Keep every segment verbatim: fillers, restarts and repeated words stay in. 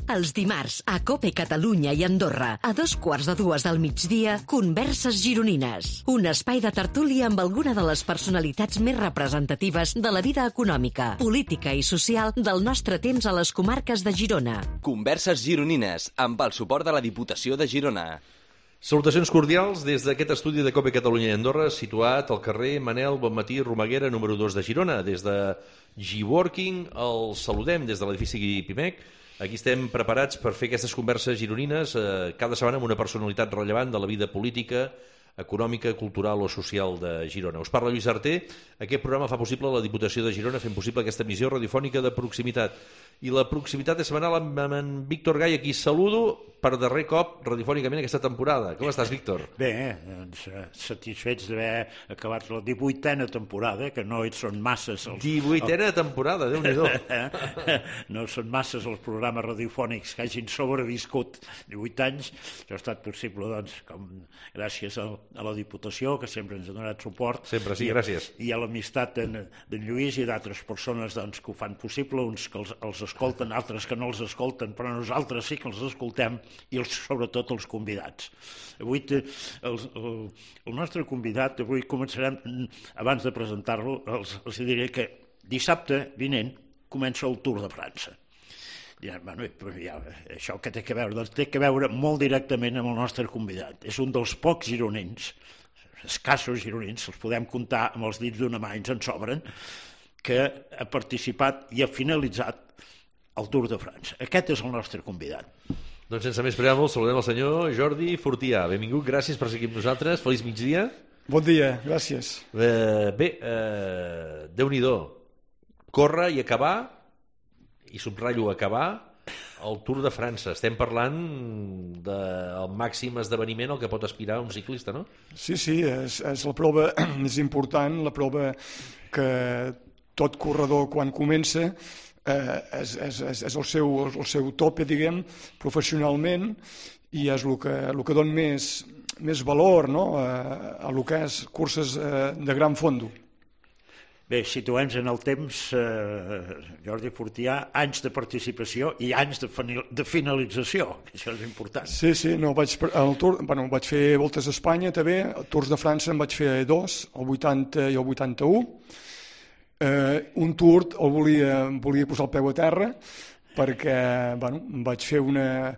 Els dimarts, a COPE Catalunya i Andorra, a dos quarts de dues del migdia, Converses Gironines. Un espai de tertúlia amb alguna de les personalitats més representatives de la vida econòmica, política i social del nostre temps a les comarques de Girona. Converses Gironines, amb el suport de la Diputació de Girona. Salutacions cordials des d'aquest estudi de COPE Catalunya i Andorra, situat al carrer Manel Bonmatí Romaguera, número dos de Girona. Des de G-Working el saludem des de l'edifici Pimec. Aquí estem preparats per fer aquestes converses gironines eh, cada setmana amb una personalitat rellevant de la vida política, econòmica, cultural o social de Girona. Us parla Lluís Arter. Aquest programa fa possible la Diputació de Girona, fent possible aquesta emissió radiofònica de proximitat. I la proximitat és setmanal amb en Víctor Gai, a qui saludo per darrer cop radiofònicament aquesta temporada. Com estàs, Víctor? Bé, doncs, satisfets d'haver acabat la divuitena temporada, que no són masses... Els... divuitena temporada, Déu-n'hi-do. No són masses els programes radiofònics que hagin sobreviscut divuit anys. Això ha estat possible, doncs, com gràcies a, a la Diputació, que sempre ens ha donat suport. Sempre sí, i, gràcies. I a l'amistat d'en Lluís i d'altres persones doncs, que ho fan possible, uns que els, els escolten, altres que no els escolten, però nosaltres sí que els escoltem, i els, sobretot els convidats. Avui el, el, el nostre convidat, avui començarem, abans de presentar-lo, els, els diré que dissabte vinent comença el Tour de França. Ja, bueno, ja, això que té que veure? Doncs té que veure molt directament amb el nostre convidat. És un dels pocs gironins, escassos gironins, els podem comptar amb els dits d'una mà, ens en sobren, que ha participat i ha finalitzat el Tour de França. Aquest és el nostre convidat. Doncs sense més preàmbuls, saludem el senyor Jordi Fortià. Benvingut, gràcies per seguir amb nosaltres. Feliç migdia. Bon dia, gràcies. Eh, bé, eh, Déu-n'hi-do. Córrer i acabar, i subratllo acabar, el Tour de França. Estem parlant del màxim esdeveniment al que pot aspirar un ciclista, no? Sí, sí, és, és la prova més important, la prova que tot corredor quan comença eh, és, és, és el, seu, el seu tope, diguem, professionalment, i és el que, el que dona més, més valor, no?, a, a el que és curses eh, de gran fondo. Bé, situem en el temps, eh, Jordi Fortià, anys de participació i anys de, de finalització, que això és important. Sí, sí, no, vaig, el tour, bueno, vaig fer voltes a Espanya també, Tours de França en vaig fer dos, el vuitanta i el vuitanta-u. Eh, un Tour el volia, volia posar el peu a terra perquè, bueno, em vaig fer una,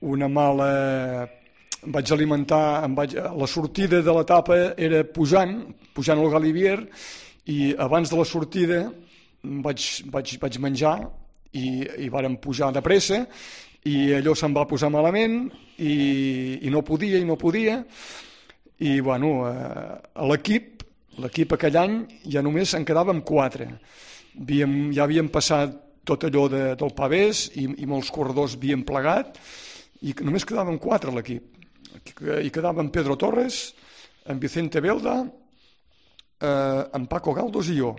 una mala... Em vaig alimentar, em vaig, la sortida de l'etapa era pujant, pujant al Galibier, i abans de la sortida vaig, vaig, vaig menjar i, i vàrem pujar de pressa, i allò se'm va posar malament, i, i no podia, i no podia, i bueno, a l'equip, l'equip aquell any ja només en quedàvem quatre. Havíem, ja havíem passat tot allò de, del pavès, i, i molts corredors havien plegat, i només quedàvem quatre a l'equip. I quedaven Pedro Torres, en Vicente Belda, eh, en Paco Galdos i jo.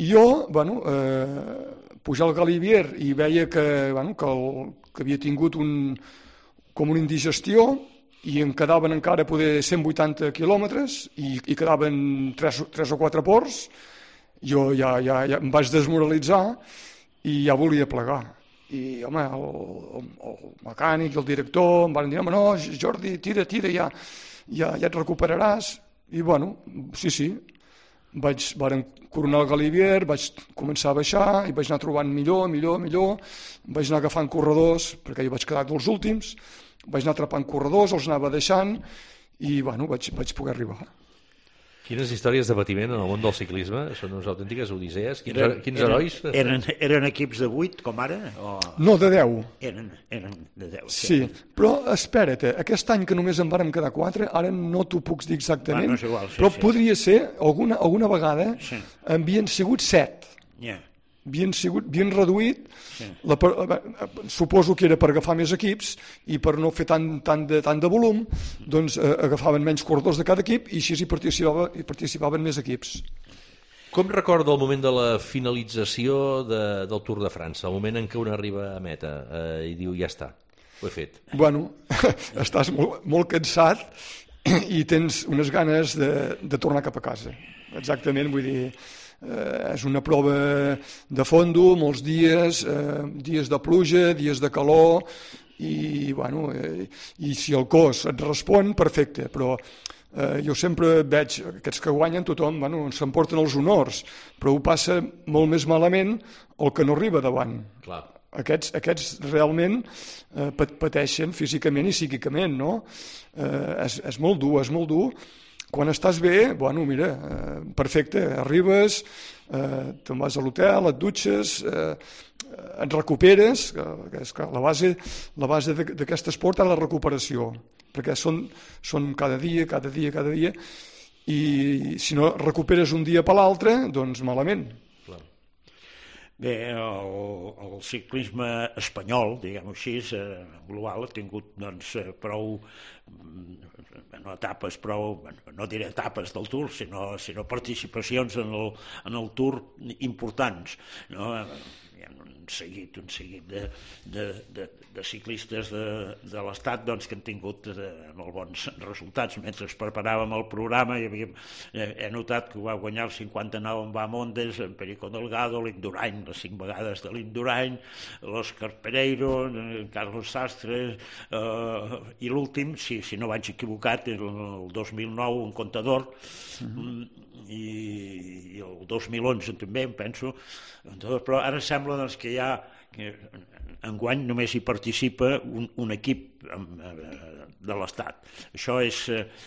I jo, bueno, eh, pujar al Galibier i veia que, bueno, que, el, que havia tingut un, com una indigestió, i em quedaven encara poder cent vuitanta quilòmetres i, i quedaven tres, tres o quatre ports. Jo ja, ja, ja em vaig desmoralitzar i ja volia plegar. I, home, el, el, el mecànic i el director em van dir, home, no, Jordi, tira, tira, ja, ja, ja et recuperaràs. I, bueno, sí, sí, vaig, varen coronar el Galibier, vaig començar a baixar i vaig anar trobant millor, millor, millor, vaig anar agafant corredors, perquè jo vaig quedar dels últims, vaig anar atrapant corredors, els anava deixant i, bueno, vaig, vaig poder arribar. Quines històries de patiment en el món del ciclisme, són unes autèntiques odisees, quins, eren, quins eren, herois? Eren, eren equips de vuit, com ara? O... No, de deu. Eren, eren de deu. Sí, sí, però espera't, aquest any que només en vàrem quedar quatre, ara no t'ho puc dir exactament, ah, no és igual, sí, però sí. podria ser, alguna, alguna vegada, sí. Havien sigut set. Yeah. Havien, sigut, havien reduït, sí. la, suposo que era per agafar més equips i per no fer tant, tant, de, tant de volum, doncs eh, agafaven menys corredors de cada equip i així hi, participava, hi participaven més equips. Com recorda el moment de la finalització de, del Tour de França, el moment en què un arriba a meta eh, i diu ja està, ho he fet? Bueno, estàs molt, molt cansat i tens unes ganes de, de tornar cap a casa. Exactament, vull dir... eh, és una prova de fondo, molts dies, eh, dies de pluja, dies de calor, i, bueno, eh, i si el cos et respon, perfecte, però eh, jo sempre veig aquests que guanyen, tothom bueno, s'emporten els honors, però ho passa molt més malament el que no arriba davant. Clar. Aquests, aquests realment eh, pateixen físicament i psíquicament, no? Eh, és, és molt dur, és molt dur. Quan estàs bé, bueno, mira, eh, perfecte, arribes, eh, te'n vas a l'hotel, et dutxes, eh, et recuperes, que és que la base, la base d'aquest esport és la recuperació, perquè són, són cada dia, cada dia, cada dia, i si no recuperes un dia per l'altre, doncs malament. Bé, el, el ciclisme espanyol, diguem-ho així, eh, global, ha tingut doncs, prou no etapes, prou, no diré etapes del Tour, sinó, sinó participacions en el, en el Tour importants, no? Hi ha un seguit, un seguit de, de, de, de ciclistes de, de l'Estat doncs, que han tingut eh, molt bons resultats. Mentre es preparàvem el programa hi havia, eh, he notat que va guanyar el cinquanta-nou en Bahamondes, en Perico Delgado, l'Indurain, les cinc vegades de l'Indurain, l'Òscar Pereiro, en Carlos Sastre, eh, i l'últim, si, si no vaig equivocat, el, el dos mil nou, un Contador, mm-hmm. I, i el dos mil onze també, em penso, però ara sembla doncs, que hi ha, que enguany només hi participa un, un equip de l'Estat. Això és,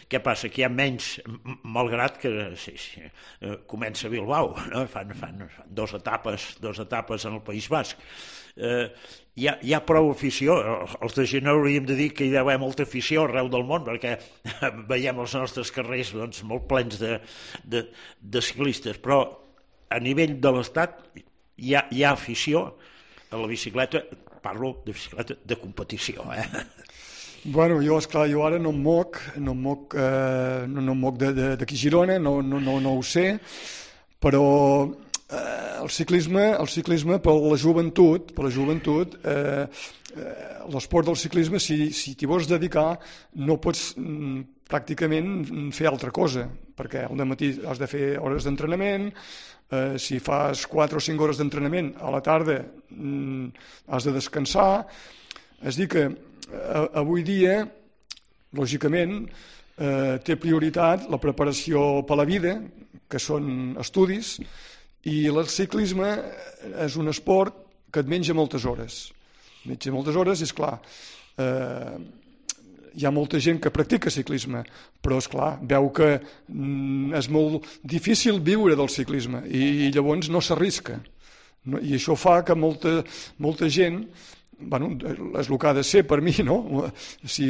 què passa? Que hi ha menys, malgrat que sí, sí, comença a Bilbao, no? fan, fan, fan dos etapes, dos etapes en el País Basc. Eh, hi, ha, hi ha prou afició, els de Girona hauríem de dir que hi deu haver molta afició arreu del món, perquè veiem els nostres carrers doncs, molt plens de, de, de ciclistes, però a nivell de l'Estat hi ha, hi ha afició a la bicicleta, parlo de bicicleta de competició. Eh? Bueno, jo, esclar, jo ara no em moc, no em moc, eh, no, no em moc d'aquí a Girona, no, no, no, no ho sé, però eh, el ciclisme, el ciclisme per la joventut, per la joventut, eh, eh, l'esport del ciclisme, si, si t'hi vols dedicar, no pots mm, pràcticament fer altra cosa, perquè al matí has de fer hores d'entrenament, eh, si fas quatre o cinc hores d'entrenament, a la tarda mm, has de descansar, és dir que eh, avui dia, lògicament, eh, té prioritat la preparació per la vida, que són estudis, i el ciclisme és un esport que et menja moltes hores. Menja moltes hores, és clar, eh, hi ha molta gent que practica ciclisme, però és clar, veu que mm, és molt difícil viure del ciclisme i, i llavors no s'arrisca. No? I això fa que molta, molta gent, bueno, és el que ha de ser per mi, no? Si,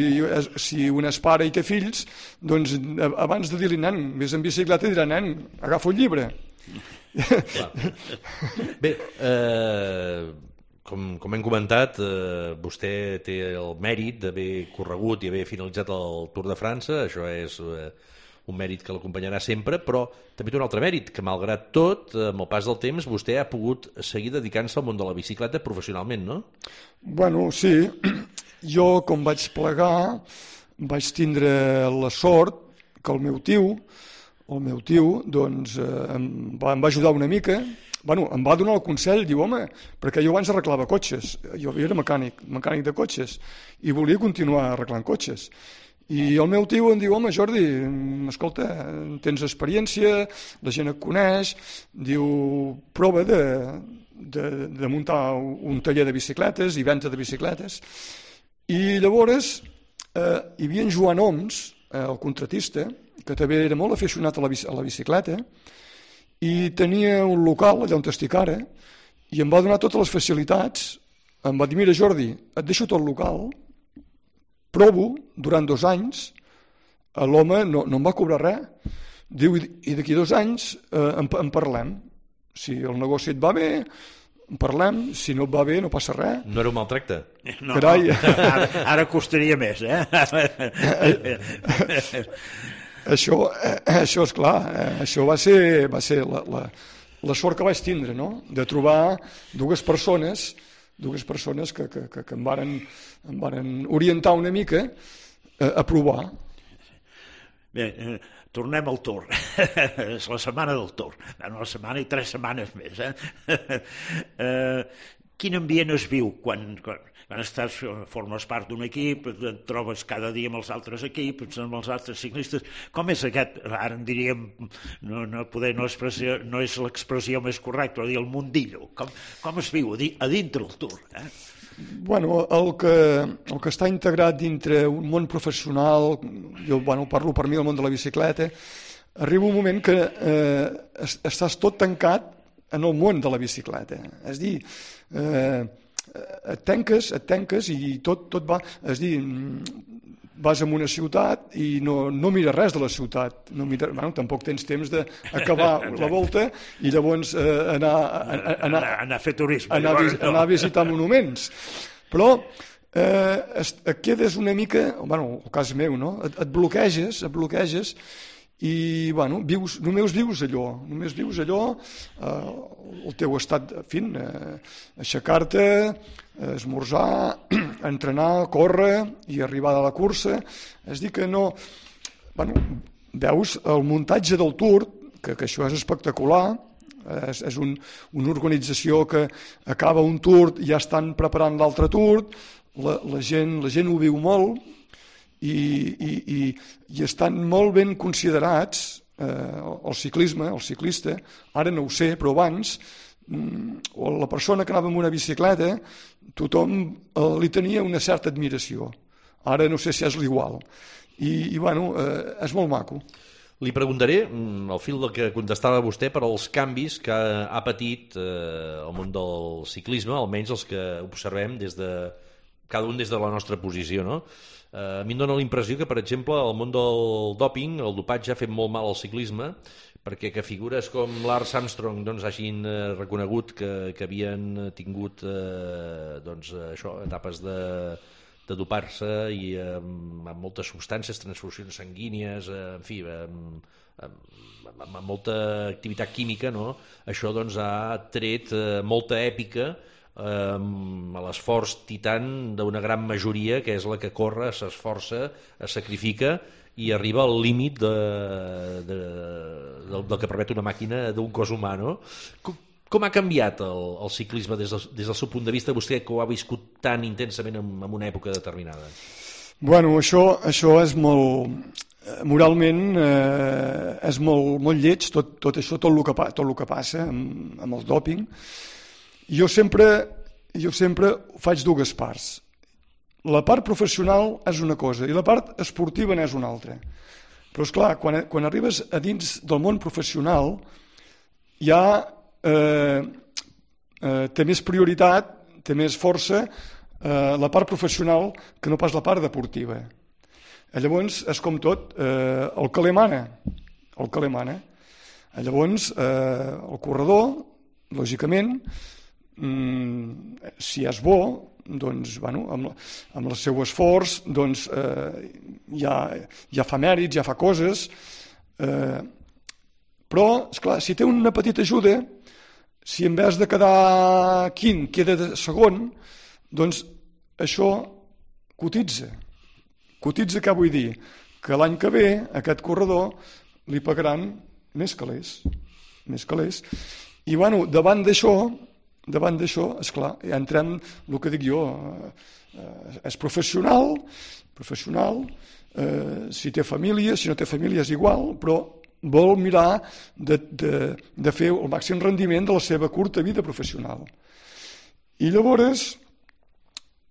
si un és pare i té fills, doncs abans de dir-li, nen, vés en bicicleta, dirà, nen, agafa un llibre. Bé, eh, com, com hem comentat, eh, vostè té el mèrit d'haver corregut i haver finalitzat el Tour de França, això és eh, un mèrit que l'acompanyarà sempre, però també té un altre mèrit, que malgrat tot, amb el pas del temps, vostè ha pogut seguir dedicant-se al món de la bicicleta professionalment, no? Bueno, sí. Jo, com vaig plegar, vaig tindre la sort que el meu tio, el meu tio, doncs, eh, em, va, em va ajudar una mica, bueno, em va donar el consell, diu, home, perquè jo abans arreglava cotxes, jo era mecànic, mecànic de cotxes, i volia continuar arreglant cotxes. I el meu tio em diu, home, Jordi, escolta, tens experiència, la gent et coneix, diu, prova de, de, de muntar un taller de bicicletes i venda de bicicletes. I llavors eh, hi havia en Joan Oms, eh, el contratista, que també era molt aficionat a la, a la bicicleta, i tenia un local allà on estic ara, i em va donar totes les facilitats. Em va dir, mira, Jordi, et deixo tot el local, provo durant dos anys, l'home no, no em va cobrar res, diu, i d'aquí dos anys eh, en, en parlem. Si el negoci et va bé, en parlem, si no et va bé no passa res. No era un maltracte? No, Carai. no ara, ara costaria més, eh? Això, això és clar, això va ser, va ser la, la, la sort que vaig tindre, no? De trobar dues persones, dues persones que, que, que, que em, varen, em varen orientar una mica a, a provar. Bé, eh, tornem al Tour. És la setmana del Tour. Bueno, la setmana i tres setmanes més. Eh? eh, quin ambient es viu quan, quan, quan estàs, formes part d'un equip, et trobes cada dia amb els altres equips, amb els altres ciclistes? Com és aquest, ara en diríem, no, no, poder, no, no és l'expressió més correcta, però dir el mundillo. Com, com es viu a dintre el Tour? Eh? Bueno, el que, el que està integrat dintre un món professional, jo bueno, parlo per mi del món de la bicicleta, arriba un moment que eh, estàs tot tancat en el món de la bicicleta. És a dir, eh, et tanques, et tanques i tot, tot va... És a dir, vas a una ciutat i no, no mires res de la ciutat. No mires, bueno, tampoc tens temps d'acabar la volta i llavors eh, anar, anar, anar, anar a fer turisme. Anar, llavors, no. anar a visitar monuments. Però eh, et quedes una mica, bueno, el cas meu, no? Et, et bloqueges, et bloqueges i bueno, vius, només vius allò, només vius allò, eh, el teu estat, en fi, eh, aixecar-te, esmorzar, entrenar, córrer i arribar a la cursa. És dir que no... Bueno, veus el muntatge del Tour, que, que això és espectacular, és, és un, una organització que acaba un Tour i ja estan preparant l'altre Tour, la, la, gent, la gent ho viu molt, i, i, i, i estan molt ben considerats eh, el ciclisme, el ciclista, ara no ho sé, però abans o la persona que anava amb una bicicleta tothom eh, li tenia una certa admiració. Ara no sé si és l'igual. I, i bueno, eh, és molt maco. Li preguntaré, al fil del que contestava vostè, per als canvis que ha patit eh, el món del ciclisme, almenys els que observem des de cada un des de la nostra posició, no? A mi em dóna la impressió que, per exemple, el món del dòping, el dopatge ha fet molt mal al ciclisme, perquè que figures com Lance Armstrong doncs, hagin eh, reconegut que, que havien tingut eh, doncs, això, etapes de, de dopar-se i eh, amb moltes substàncies, transfusions sanguínies, eh, en fi, amb, amb, amb molta activitat química, no? Això doncs, ha tret eh, molta èpica a l'esforç titan d'una gran majoria, que és la que corre, s'esforça, es sacrifica i arriba al límit de, de, del, del que permet una màquina d'un cos humà, no? Com, com ha canviat el, el ciclisme des del, des del seu punt de vista, vostè que ho ha viscut tan intensament en, en una època determinada? Bueno, això, això és molt... Moralment eh, és molt, molt lleig, tot, tot això, tot el que, tot el que passa amb, amb el dòping. Jo sempre, jo sempre faig dues parts. La part professional és una cosa i la part esportiva n'és una altra. Però, esclar, quan, quan arribes a dins del món professional ja eh, eh, té més prioritat, té més força eh, la part professional que no pas la part deportiva. Llavors, és com tot, eh, el que li mana, el que li mana. Llavors, eh, el corredor, lògicament, si és bo, doncs, bueno, amb, amb el seu esforç doncs, eh, ja, ja fa mèrits, ja fa coses, eh, però, esclar, si té una petita ajuda, si en vez de quedar quint queda de segon, doncs això cotitza. Cotitza què vull dir? Que l'any que ve aquest corredor li pagaran més calés, més calés. I bueno, davant d'això, davant d'això, esclar, ja entrem el que dic jo, eh, és professional, professional, eh, si té família, si no té família és igual, però vol mirar de, de, de fer el màxim rendiment de la seva curta vida professional. I llavors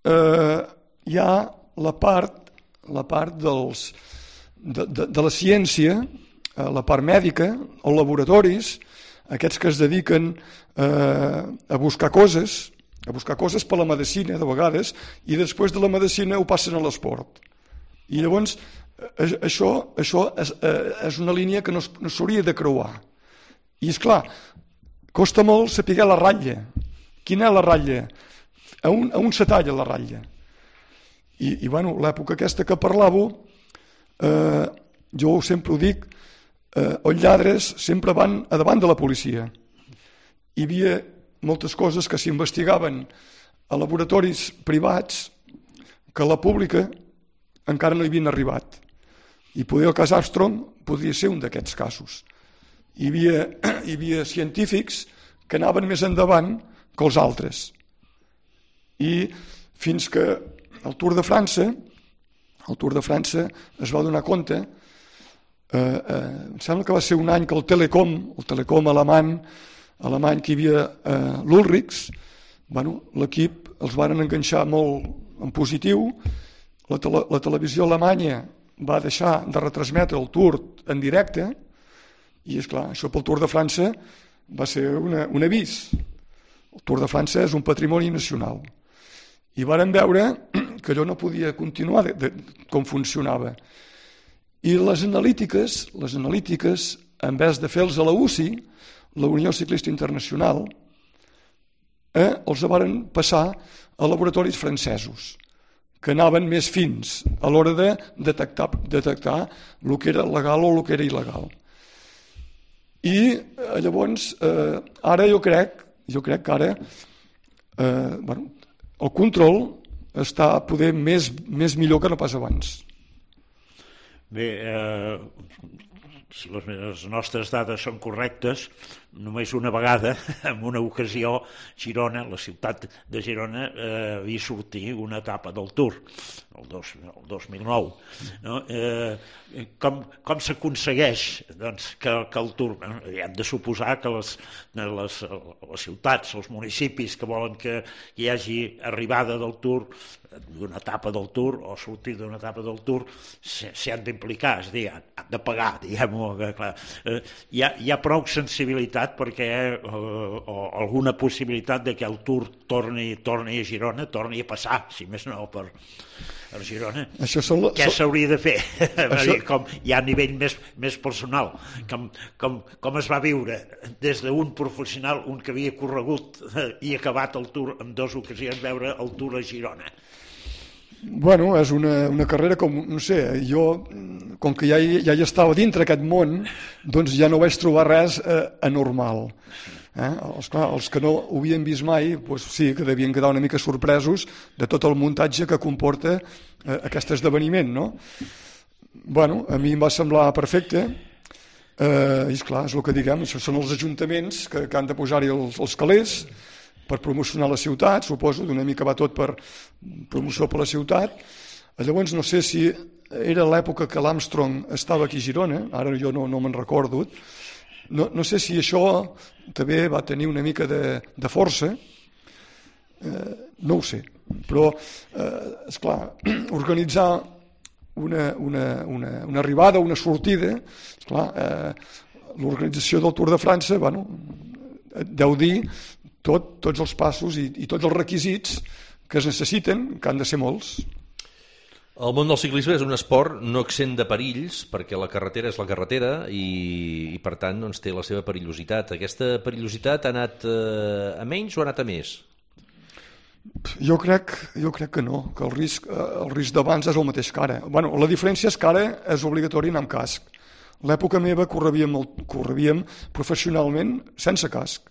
eh, hi ha la part, la part dels, de, de, de la ciència, eh, la part mèdica, els laboratoris, aquests que es dediquen eh, a buscar coses, a buscar coses per la medicina, de vegades, i després de la medicina ho passen a l'esport. I llavors, eh, això, això és, eh, és una línia que no, no s'hauria de creuar. I, és clar, costa molt saber la ratlla. Quina és la ratlla? A un, a un se talla la ratlla. I, i bueno, l'època aquesta que parlàveu, eh, jo sempre ho dic, Eh, els lladres sempre van a davant de la policia. Hi havia moltes coses que s'investigaven a laboratoris privats que a la pública encara no hi havien arribat. I poder el cas Armstrong podria ser un d'aquests casos. Hi havia, hi havia científics que anaven més endavant que els altres. I fins que el Tour de França, el Tour de França es va donar compte, eh, eh, em sembla que va ser un any que el Telecom, el Telecom alemany, alemany que hi havia eh, l'Ulrichs, bueno, l'equip els van enganxar molt en positiu, la, tele, la televisió alemanya va deixar de retransmetre el Tour en directe, i és clar, això pel Tour de França va ser una, un avís. El Tour de França és un patrimoni nacional. I varen veure que allò no podia continuar de, de, com funcionava. I les analítiques, les analítiques, en vez de fer-los a la U C I, la Unió Ciclista Internacional, eh, els varen passar a laboratoris francesos, que anaven més fins a l'hora de detectar, detectar el que era legal o el que era il·legal. I eh, llavors, eh, ara jo crec, jo crec que ara eh, bueno, el control està poder més, més millor que no pas abans. Bé, eh, si les nostres dades són correctes, només una vegada, en una ocasió, Girona, la ciutat de Girona, eh, havia sortit una etapa del Tour, el, dos, el dos mil nou. No? Eh, com com s'aconsegueix doncs, que, que el Tour... Eh, hem de suposar que les, les, les ciutats, els municipis que volen que hi hagi arribada del Tour, d'una etapa del Tour o sortir d'una etapa del Tour, s'hi han d'implicar, és a dir, han de pagar, diguem-ho. Eh, hi, ha, hi ha prou sensibilitat perquè eh, o alguna possibilitat de que el Tour torni, torni a Girona, torni a passar, si més no, per, per Girona. Això són la... Què s'hauria de fer? Això... Com, ja a nivell més, més personal, com, com, com es va viure des d'un professional, un que havia corregut i acabat el Tour en dues ocasions, veure el Tour a Girona. Bueno, és una, una carrera com, no sé, jo, com que ja hi, ja hi estava dintre aquest món, doncs ja no vaig trobar res eh, anormal. Eh? Els, clar, els que no ho havien vist mai, doncs sí, que devien quedar una mica sorpresos de tot el muntatge que comporta eh, aquest esdeveniment, no? Bueno, a mi em va semblar perfecte, eh, i esclar, és el que diguem, són els ajuntaments que, que han de posar-hi els, els calés, per promocionar la ciutat, suposo, d'una mica va tot per promoció per la ciutat. Llavors no sé si era l'època que l'Armstrong estava aquí a Girona, ara jo no, no me'n recordo, no, no sé si això també va tenir una mica de, de força, eh, no ho sé, però, eh, esclar, organitzar una, una, una, una arribada, una sortida, esclar, eh, l'organització del Tour de França, bueno, deu dir Tot, tots els passos i, i tots els requisits que es necessiten, que han de ser molts. El món del ciclisme és un esport no exempt de perills, perquè la carretera és la carretera i, i per tant doncs, té la seva perillositat. Aquesta perillositat ha anat eh, a menys o ha anat a més? Jo crec, jo crec que no, que el risc, el risc d'abans és el mateix que ara. Bueno, la diferència és que ara és obligatori anar amb casc. L'època meva correvíem, correvíem professionalment sense casc.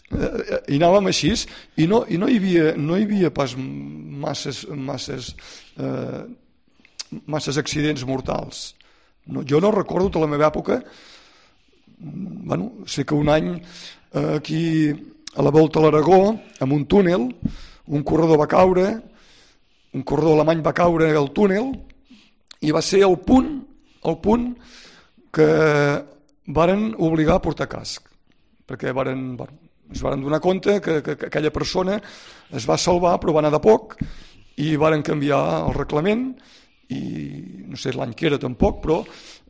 I anàvem així i no, i no, hi, havia, no hi havia pas masses, masses, eh, masses accidents mortals. No, jo no recordo tota la meva època. Bueno, sé que un any eh, aquí a la Volta a l'Aragó, amb un túnel, un corredor va caure, un corredor alemany va caure al túnel i va ser el punt, el punt que varen obligar a portar casc, perquè varen... Bueno, es van donar compte que, que, que aquella persona es va salvar però va anar de poc i varen canviar el reglament i no sé l'any que era tampoc, però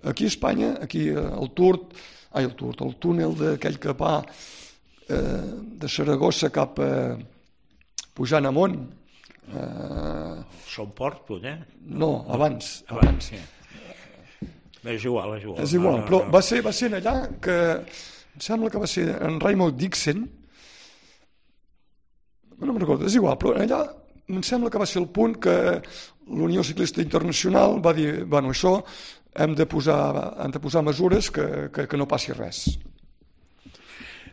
aquí a Espanya, aquí el Tour, ai, el Tour, el túnel d'aquell que va eh, de Saragossa cap a pujant amunt. Eh... Son Port, potser? No, abans. abans. abans. És igual, és igual. És igual, però va ser, va ser allà que em sembla que va ser en Raymond Dixon, no me'n recordo, és igual, però allà em sembla que va ser el punt que l'Unió Ciclista Internacional va dir, bueno, això hem de posar, hem de posar mesures que, que, que no passi res.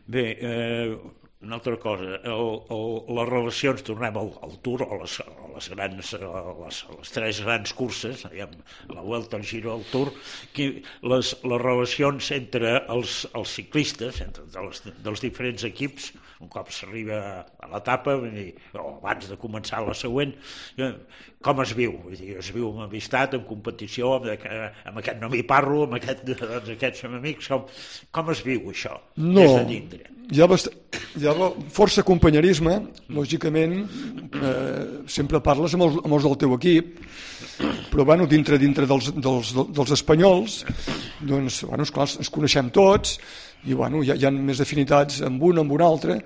Bé, eh, una altra cosa, el, el, les relacions, tornem al, al Tour, o les, les, grans, les, les tres grans curses, la Vuelta, el Giro, el Tour, que les, les relacions entre els, els ciclistes, entre dels, dels diferents equips, un cop s'arriba a l'etapa, o abans de començar la següent, com es viu? Vull dir, es viu amb amistat, amb competició, amb, amb aquest no m'hi parlo, amb aquest, doncs, aquests som amics, com, com es viu això? No, des de dintre? Hi ha, bast... hi ha força companyerisme, lògicament, eh, sempre parles amb els, amb els del teu equip, però bueno, dintre dintre dels, dels, dels espanyols, doncs, bueno, esclar, ens coneixem tots, i bueno, hi ha, hi ha més afinitats amb un, amb un altre,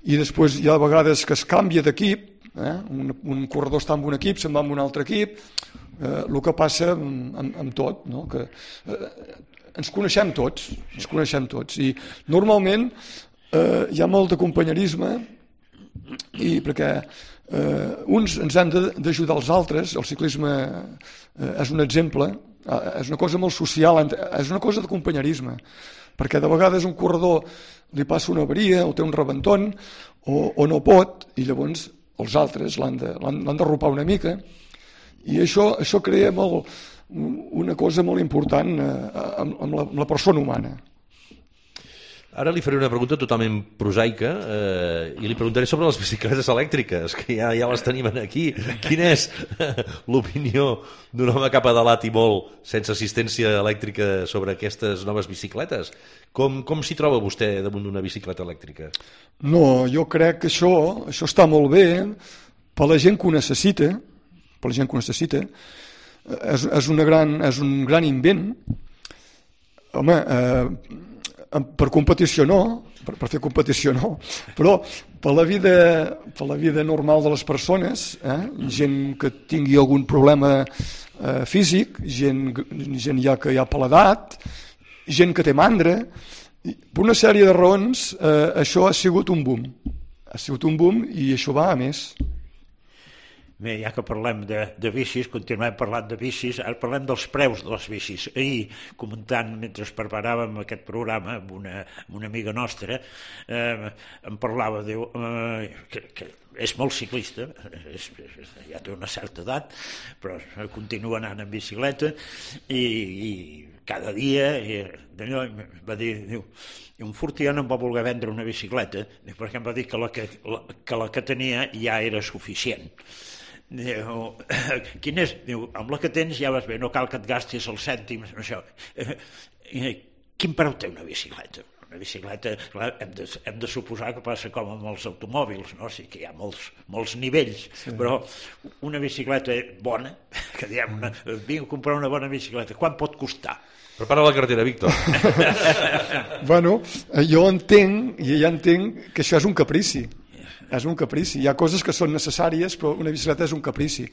i després hi ha vegades que es canvia d'equip, eh? un, un corredor està amb un equip, se'n va amb un altre equip, eh, el que passa amb, amb, amb tot, no? Que eh, ens coneixem tots, ens coneixem tots, i normalment eh, hi ha molt de companyerisme, i perquè eh, uns ens han d'ajudar els altres, el ciclisme eh, és un exemple, eh, és una cosa molt social, és una cosa de companyerisme, perquè de vegades un corredor li passa una avaria o té un rebenton o, o no pot, i llavors els altres l'han de, l'han d'arropar una mica, i això, això crea molt, una cosa molt important eh, amb, amb, la, amb la persona humana. Ara li faré una pregunta totalment prosaica eh, i li preguntaré sobre les bicicletes elèctriques, que ja, ja les tenim aquí. Quina és l'opinió d'un home cap a dalt i molt sense assistència elèctrica sobre aquestes noves bicicletes? Com, com s'hi troba vostè damunt d'una bicicleta elèctrica? No, jo crec que això, això està molt bé per la gent que ho necessita, per la gent que ho necessita. És, és, una gran, és un gran invent. Home, eh, per competició no, per, per fer competició no, però per la vida, per la vida normal de les persones, eh, gent que tingui algun problema eh, físic, gent, gent ja que hi ha per l'edat, gent que té mandra, per una sèrie de raons eh, això ha sigut un boom, ha sigut un boom i això va a més. Bé, ja que parlem de, de bicis, continuem parlant de bicis, ara parlem dels preus de les bicis. Ahir, comentant, mentre preparàvem aquest programa amb una, amb una amiga nostra, eh, em parlava, diu, eh, que, que és molt ciclista, és, ja té una certa edat, però continua anant en bicicleta, i, i cada dia, i, d'allò, va dir, diu, un Fortià no em va voler vendre una bicicleta, perquè em va dir que la que, la, que la que tenia ja era suficient. Diu, quin és? Diu, amb la que tens ja vas bé, no cal que et gastis els cèntims, això. Quin preu té una bicicleta? Una bicicleta, clar, hem de, hem de suposar que passa com amb els automòbils, no? Sí que hi ha molts, molts nivells, sí. Però una bicicleta bona, que diem, una, vinc a comprar una bona bicicleta, quan pot costar? Prepara la cartera, Víctor. Bueno, jo entenc, ja entenc que això és un caprici. És un caprici. Hi ha coses que són necessàries, però una bicicleta és un caprici.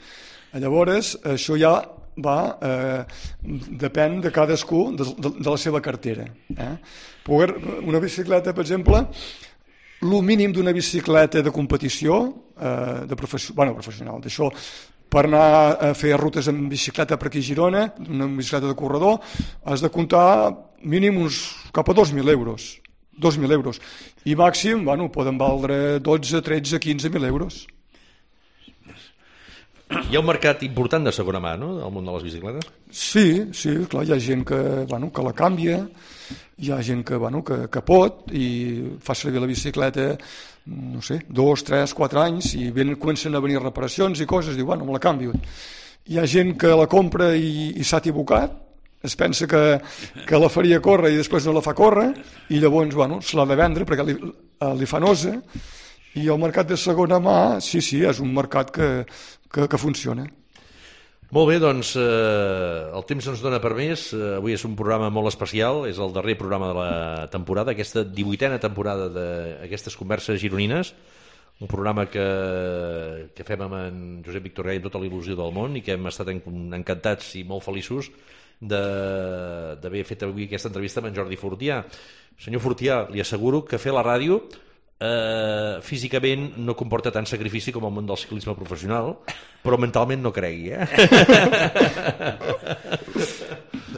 Llavors, això ja va, eh, depèn de cadascú, de, de, de la seva cartera. Eh? Poder, una bicicleta, per exemple, el mínim d'una bicicleta de competició, eh, de professional, bueno, professional, d'això, per anar a fer rutes en bicicleta per aquí a Girona, una bicicleta de corredor, has de comptar mínim uns cap a dos mil euros. dos mil euros. I màxim, bueno, poden valdre dotze, tretze, quinze mil euros. Hi ha un mercat important de segona mà, no?, al món de les bicicletes? Sí, sí, clar, hi ha gent que, bueno, que la canvia, hi ha gent que, bueno, que, que pot i fa servir la bicicleta, no sé, dos, tres, quatre anys, i ven, comencen a venir reparacions i coses, diu, bueno, me la canvio. Hi ha gent que la compra i, i s'ha equivocat, es pensa que, que la faria córrer i després no la fa córrer, i llavors, bueno, se l'ha de vendre perquè li, li fa nosa, i el mercat de segona mà, sí, sí, és un mercat que, que, que funciona. Molt bé, doncs eh, el temps ens dona per més. Eh, avui és un programa molt especial, és el darrer programa de la temporada, aquesta divuitena temporada d'aquestes converses gironines, un programa que, que fem amb en Josep Victor Gay amb tota la il·lusió del món i que hem estat encantats i molt feliços d'haver fet avui aquesta entrevista amb en Jordi Fortià. Senyor Fortià, li asseguro que fer la ràdio eh, físicament no comporta tant sacrifici com el món del ciclisme professional, però mentalment no cregui, eh?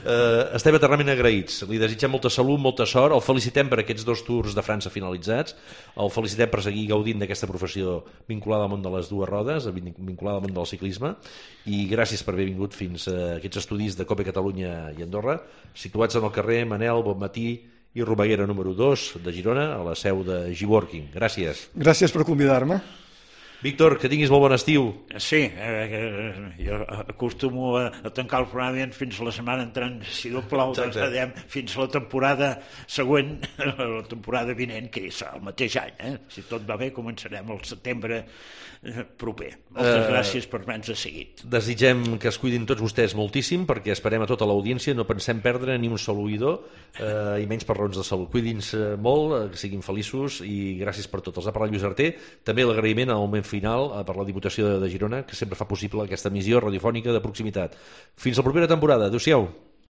Uh, estem eternament agraïts, li desitgem molta salut, molta sort, el felicitem per aquests dos tours de França finalitzats, el felicitem per seguir gaudint d'aquesta professió vinculada al món de les dues rodes, vinculada al món del ciclisme, i gràcies per haver vingut fins a aquests estudis de Cope Catalunya i Andorra, situats en el carrer Manel Bonmatí i Romaguera número dos de Girona, a la seu de G-Working. Gràcies. Gràcies per convidar-me. Víctor, que tinguis molt bon estiu. Sí, eh, jo acostumo a, a tancar el programa fins la setmana entrant, si no plau, doncs adem, fins la temporada següent, la temporada vinent, que és el mateix any. Eh? Si tot va bé, començarem el setembre proper. Moltes uh, gràcies per haver-nos seguit. Desitgem que es cuidin tots vostès moltíssim, perquè esperem a tota l'audiència, no pensem perdre ni un sol oïdor, uh, i menys per raons de salut. Cuidin-se molt, que siguin feliços, i gràcies per tot. Els ha parlat Lluís Arter, també l'agraïment al moment final per la Diputació de Girona, que sempre fa possible aquesta emissió radiofònica de proximitat. Fins la propera temporada. Adéu-siau.